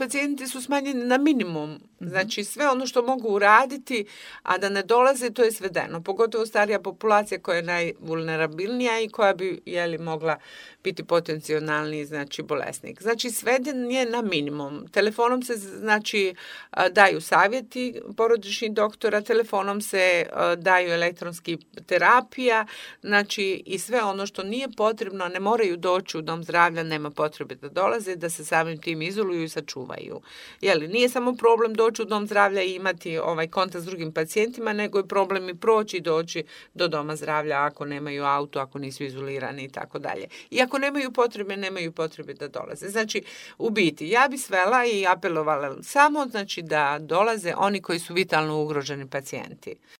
pacijenti su smanjeni na minimum. Znači sve ono što mogu uraditi, a da ne dolaze, to je svedeno. Pogotovo starija populacija koja je najvulnerabilnija i koja bi mogla biti potencijalni bolesnik. Znači sveden je na minimum. Telefonom se daju savjeti porodičnih doktora, telefonom se daju elektronski terapija, i sve ono što nije potrebno, ne moraju doći u dom zdravlja, nema potrebe da dolaze, da se samim tim izoluju i sačuvaju. Nije samo problem doći u dom zdravlja i imati kontakt s drugim pacijentima, nego je problem i proći i doći do doma zdravlja ako nemaju auto, ako nisu izolirani i tako dalje. I ako nemaju potrebe da dolaze. Znači, u biti, ja bi svela i apelovala samo da dolaze oni koji su vitalno ugroženi pacijenti.